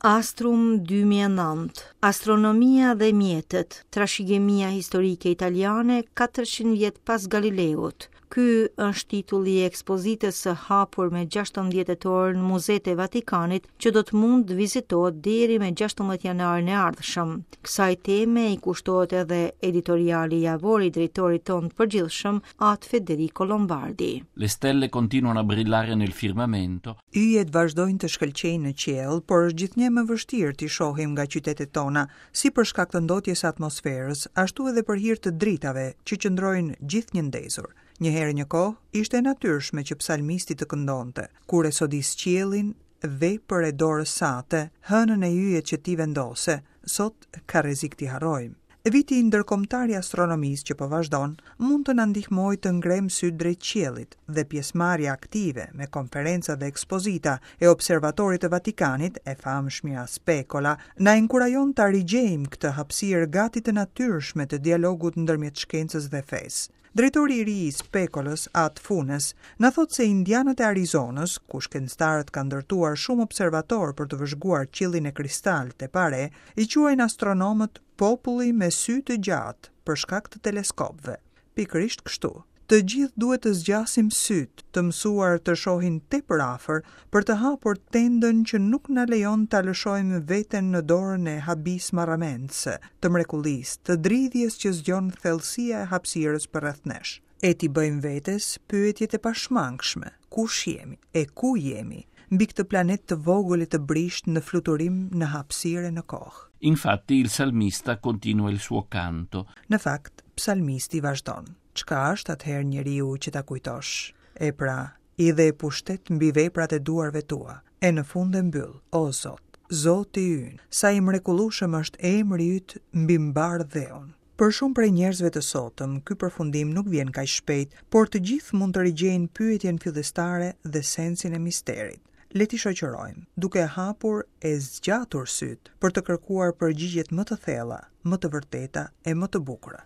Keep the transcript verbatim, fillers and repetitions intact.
Astrum dy mijë e nëntë, Astronomia dhe mjetet, trashëgimia historike italiane katërqind vjet pas Galileut. Ky është titulli i ekspozitës së hapur me gjashtëmbëdhjetë tetor në Muzetë e Vatikanit, që do të mund të vizitohet deri me gjashtëmbëdhjetë janarin e ardhshëm. Kësaj teme i kushtohet edhe editoriali javor i drejtorit tonë të përgjithshëm, At Federico Lombardi. Le stelle continuano a brillare nel firmamento. Yjet vazhdojnë të shkëlqejnë në qiell, por është gjithnjë më vështirë t'i shohim nga qytetet tona, si për shkak të ndotjes së atmosferës, ashtu edhe për hir të dritave që qëndrojnë gjithnjë ndezur. Një herë një kohë, ishte e natyrshme që psalmisti të këndonte, kur e sodis qiellin, vepër e dorës sate, hënën e yjet që ti vendose, sot ka rrezik t'i harrojmë. Viti ndërkombëtar i astronomisë që po vazhdon, mund të na ndihmojë të ngrem sytë drejt qiellit dhe pjesëmarrja aktive me konferenca dhe ekspozita e Observatorit të Vatikanit, e famshmja Specola, na inkurajon ta rigjejmë këtë hapësirë gati të natyrshme të dialogut ndërmjet shkencës dhe fesë. Drejtori i ri i Specolës, At Funes, na thotë se indianët e Arizonës, ku shkencëtarët kanë ndërtuar shumë observator për të vëzhguar qiellin e kristaltë e pare, i quajnë astronomët populli me sy të gjatë për shkak të teleskopëve. Pikërisht kështu, të gjithë duhet të zgjasim sytë, të mësuar të shohin tepër afër, për të hapur tendën që nuk na lejon ta lëshojmë veten në dorën e habisë marramendëse, të mrekullisë, të dridhjes që zgjon thellësia e hapësirës përreth nesh. E t'i bëjmë vetes pyetjet e pashmangshme, kush jemi e ku jemi, mbi këtë planet të vogël e të brishtë në fluturim në hapësirë e në kohë. Infatti il salmista continua il suo canto. Në fakt, psalmisti vazhdon. Çka është atëherë njeriu që ta kujtosh? E pra, i dhe pushtet mbi veprat e duarve tua, e në fund e mbyll, o Zot, Zoti ynë, sa i mrekullueshëm është emri yt mbi mbar dheun. Për shumë prej njerëzve të sotëm, ky përfundim nuk vjen kaq shpejt, por të gjithë mund të rigjejnë pyetjen fillestare dhe sensin e misterit. Le t'i shoqërojmë, duke hapur e zgjatur sytë për të kërkuar përgjigjet më të thella, më të vërteta e më të bukura.